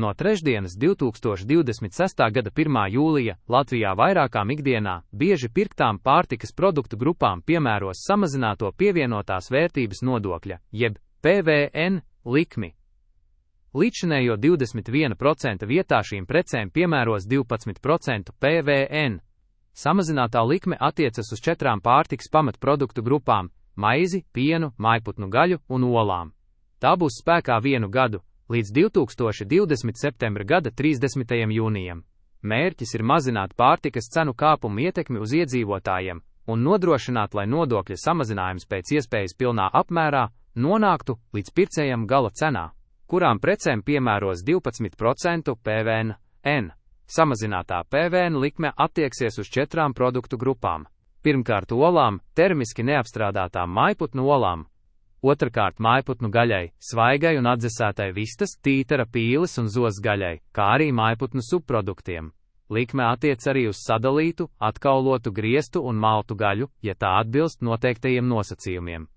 No trešdienas 2026. gada 1. jūlija Latvijā vairākām ikdienā bieži pirktām pārtikas produktu grupām piemēros samazināto pievienotās vērtības nodokļa, jeb PVN likmi. Līdzinējo 21% vietā šīm precēm piemēros 12% PVN. Samazinātā likme attiecas uz 4 pārtikas pamatproduktu grupām – maizi, pienu, mājputnu gaļu un olām. Tā būs spēkā 1 gadu, līdz 2020. septembra gada 30. jūnijam. Mērķis ir mazināt pārtikas cenu kāpumu ietekmi uz iedzīvotājiem un nodrošināt, lai nodokļa samazinājums pēc iespējas pilnā apmērā nonāktu līdz pircējam gala cenā, kurām precēm piemēros 12% PVN. Samazinātā PVN likme attieksies uz 4 produktu grupām. Pirmkārt olām, termiski neapstrādātām mājputnu olām. Otrakārt mājputnu gaļai, svaigai un atdzesētai vistas, tītara, pīles un zozas gaļai, kā arī mājputnu subproduktiem. Likme attiec arī uz sadalītu, atkaulotu, grieztu un maltu gaļu, ja tā atbilst noteiktajiem nosacījumiem.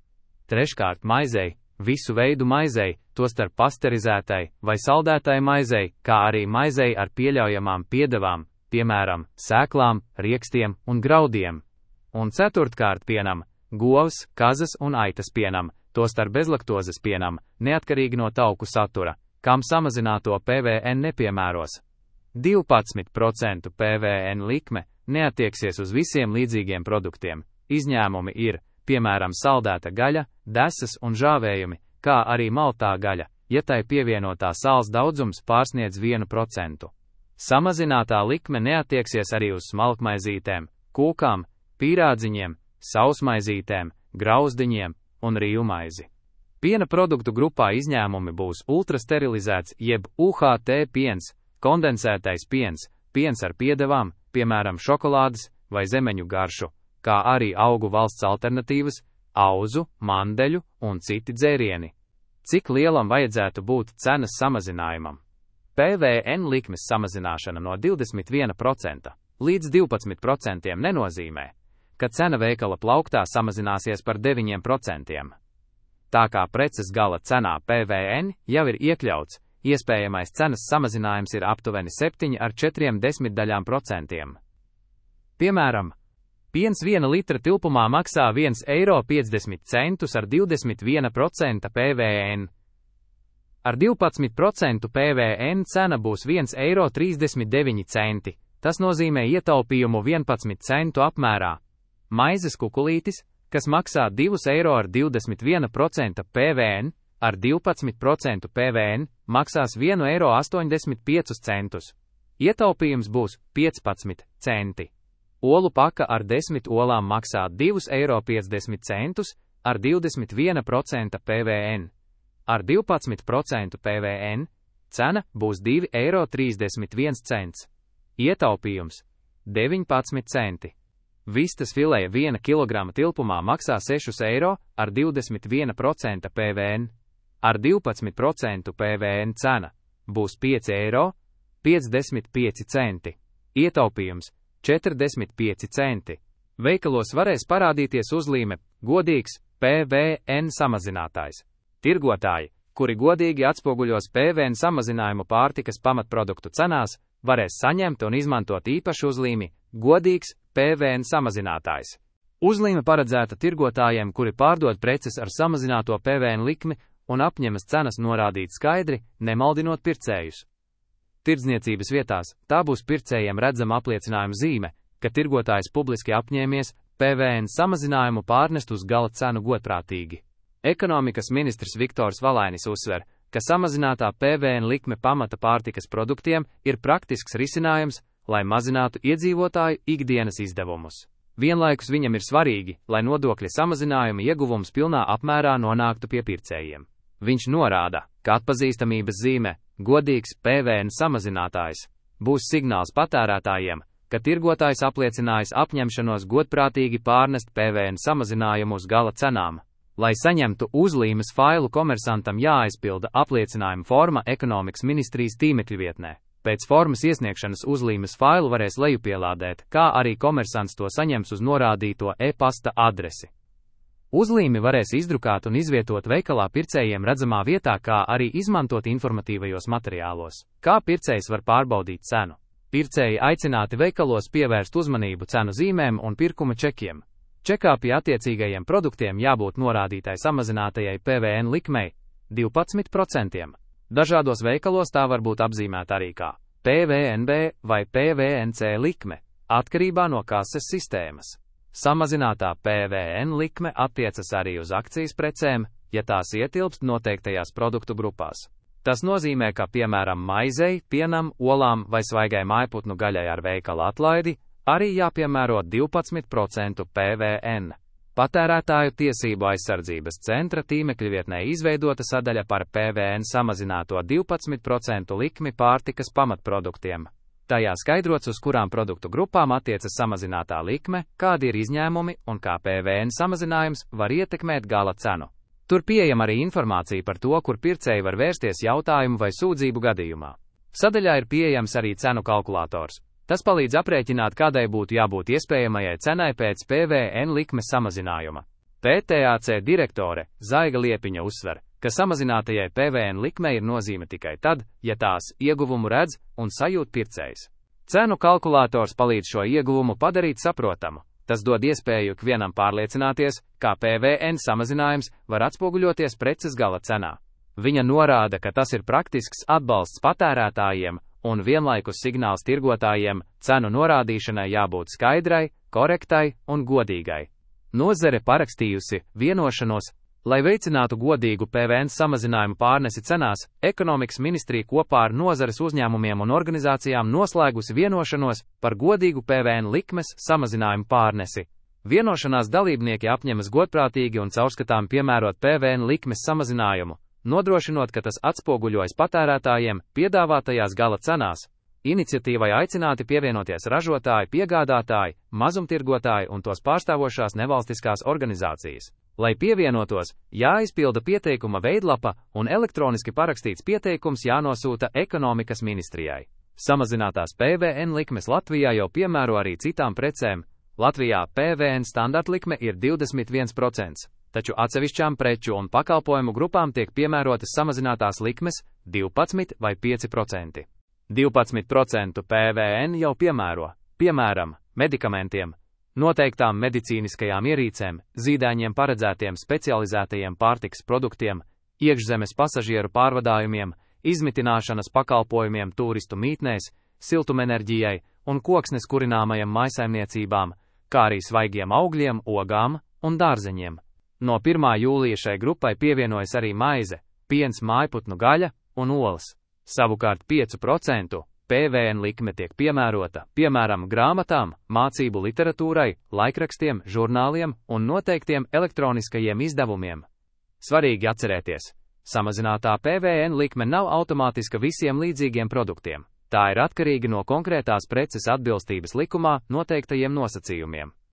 Treškārt maizei, visu veidu maizei, tostarp pasterizētai vai saldētai maizei, kā arī maizei ar pieļaujamām piedevām, piemēram, sēklām, riekstiem un graudiem. Un ceturtkārt pienam, govs, kazas un aitas pienam, tostarp bezlaktozes pienam, neatkarīgi no tauku satura, kam samazināto PVN nepiemēros. 12% PVN likme neatieksies uz visiem līdzīgiem produktiem. Izņēmumi ir, piemēram, saldēta gaļa, desas un žāvējumi, kā arī maltā gaļa, ja tai pievienotā sāls daudzums pārsniedz 1%. Samazinātā likme neatieksies arī uz smalkmaizītēm, kūkām, pīrādziņiem, sausmaizītēm, grauzdiņiem un rīvmaizi. Piena produktu grupā izņēmumi būs ultrasterilizēts jeb UHT piens, kondensētais piens, piens ar piedevām, piemēram šokolādes vai zemeņu garšu, kā arī augu valsts alternatīvas, auzu, mandeļu un citi dzērieni. Cik lielam vajadzētu būt cenas samazinājumam? PVN likmes samazināšana no 21% līdz 12% nenozīmē, ka cena veikala plauktā samazināsies par 9%. Tā kā preces gala cenā PVN jau ir iekļauts, iespējamais cenas samazinājums ir aptuveni 7,4%. Piemēram, piens 1 litra tilpumā maksā 1,50 € ar 21% PVN. Ar 12% PVN cena būs 1,39 €. Tas nozīmē ietaupījumu 11 centu apmērā. Maizes kukulītis, kas maksā 2 € ar 21% PVN, ar 12% PVN maksās 1,85 €. Ietaupījums būs 15 centi. Olu paka ar 10 olām maksā 2,50 € ar 21% PVN. Ar 12% PVN cena būs 2,31 €. Ietaupījums 19 centi. Vistas fileja 1 kg tilpumā maksā 6 € ar 21% PVN. Ar 12% PVN cena būs 5,55 €. Ietaupījums 45 centi. Veikalos varēs parādīties uzlīme godīgs PVN samazinātājs. Tirgotāji, kuri godīgi atspoguļos PVN samazinājumu pārtikas pamatproduktu cenās, varēs saņemt un izmantot īpašu uzlīmi godīgs PVN samazinātājs. Uzlīme paredzēta tirgotājiem, kuri pārdod preces ar samazināto PVN likmi un apņemas cenas norādīt skaidri, nemaldinot pircējus. Tirdzniecības vietās tā būs pircējiem redzama apliecinājuma zīme, ka tirgotājs publiski apņēmies PVN samazinājumu pārnest uz gala cenu godprātīgi. Ekonomikas ministrs Viktors Valainis uzsver, ka samazinātā PVN likme pamata pārtikas produktiem ir praktisks risinājums, lai mazinātu iedzīvotāju ikdienas izdevumus. Vienlaikus viņam ir svarīgi, lai nodokļa samazinājuma ieguvums pilnā apmērā nonāktu pie pircējiem. Viņš norāda, ka atpazīstamības zīme, godīgs PVN samazinātājs, būs signāls patērētājiem, ka tirgotājs apliecinājis apņemšanos godprātīgi pārnest PVN samazinājumu uz gala cenām. Lai saņemtu uzlīmes failu, komersantam jāaizpilda apliecinājuma forma Ekonomikas ministrijas tīmekļa vietnē. Pēc formas iesniegšanas uzlīmes failu varēs lejupielādēt, kā arī komersants to saņems uz norādīto e-pasta adresi. Uzlīmi varēs izdrukāt un izvietot veikalā pircējiem redzamā vietā, kā arī izmantot informatīvajos materiālos. Kā pircējs var pārbaudīt cenu? Pircēji aicināti veikalos pievērst uzmanību cenu zīmēm un pirkuma čekiem. Čekā pie attiecīgajiem produktiem jābūt norādītai samazinātajai PVN likmei 12%. Dažādos veikalos tā var būt apzīmēta arī kā PVNB vai PVNC likme, atkarībā no kases sistēmas. Samazinātā PVN likme attiecas arī uz akcijas precēm, ja tās ietilpst noteiktajās produktu grupās. Tas nozīmē, ka, piemēram, maizei, pienam, olām vai svaigai mājputnu gaļai ar veikala atlaidi arī jāpiemēro 12% PVN. Patērētāju tiesību aizsardzības centra tīmekļa vietnē izveidota sadaļa par PVN samazināto 12% likmi pārtikas pamatproduktiem. Tajā skaidrots, uz kurām produktu grupām attiecas samazinātā likme, kādi ir izņēmumi un kā PVN samazinājums var ietekmēt gala cenu. Tur pieejama arī informācija par to, kur pircēji var vērsties jautājumu vai sūdzību gadījumā. Sadaļā ir pieejams arī cenu kalkulators. Tas palīdz aprēķināt, kādai būtu jābūt iespējamajai cenai pēc PVN likmes samazinājuma. PTAC direktore Zaiga Liepiņa uzsver, ka samazinātajai PVN likmei ir nozīme tikai tad, ja tās ieguvumu redz un sajūt pircējs. Cenu kalkulators palīdz šo ieguvumu padarīt saprotamu. Tas dod iespēju ikvienam pārliecināties, kā PVN samazinājums var atspoguļoties preces gala cenā. Viņa norāda, ka tas ir praktisks atbalsts patērētājiem un vienlaikus signāls tirgotājiem, cenu norādīšanai jābūt skaidrai, korektai un godīgai. Nozare parakstījusi vienošanos, lai veicinātu godīgu PVN samazinājumu pārnesi cenās. Ekonomikas ministrija kopā ar nozares uzņēmumiem un organizācijām noslēgusi vienošanos par godīgu PVN likmes samazinājumu pārnesi. Vienošanās dalībnieki apņemas godprātīgi un caurskatām piemērot PVN likmes samazinājumu, nodrošinot, ka tas atspoguļojas patērētājiem piedāvātajās gala cenās. Iniciatīvai aicināti pievienoties ražotāji, piegādātāji, mazumtirgotāji un tos pārstāvošās nevalstiskās organizācijas. Lai pievienotos, jāizpilda pieteikuma veidlapa un elektroniski parakstīts pieteikums jānosūta ekonomikas ministrijai. Samazinātās PVN likmes Latvijā jau piemēro arī citām precēm. Latvijā PVN standartlikme ir 21%. Taču atsevišķām preču un pakalpojumu grupām tiek piemērotas samazinātās likmes 12 vai 5%. 12% PVN jau piemēro, piemēram, medikamentiem, noteiktām medicīniskajām ierīcēm, zīdaiņiem paredzētiem specializētajiem pārtikas produktiem, iekšzemes pasažieru pārvadājumiem, izmitināšanas pakalpojumiem turistu mītnēs, siltumenerģijai un koksnes kurināmajam maisaimniecībām, kā arī svaigiem augļiem, ogām un dārzeņiem. No 1. jūlija šai grupai pievienojas arī maize, piens, mājputnu gaļa un olas. Savukārt 5% PVN likme tiek piemērota, piemēram, grāmatām, mācību literatūrai, laikrakstiem, žurnāliem un noteiktiem elektroniskajiem izdevumiem. Svarīgi atcerēties, samazinātā PVN likme nav automātiska visiem līdzīgiem produktiem. Tā ir atkarīga no konkrētās preces atbilstības likumā noteiktajiem nosacījumiem.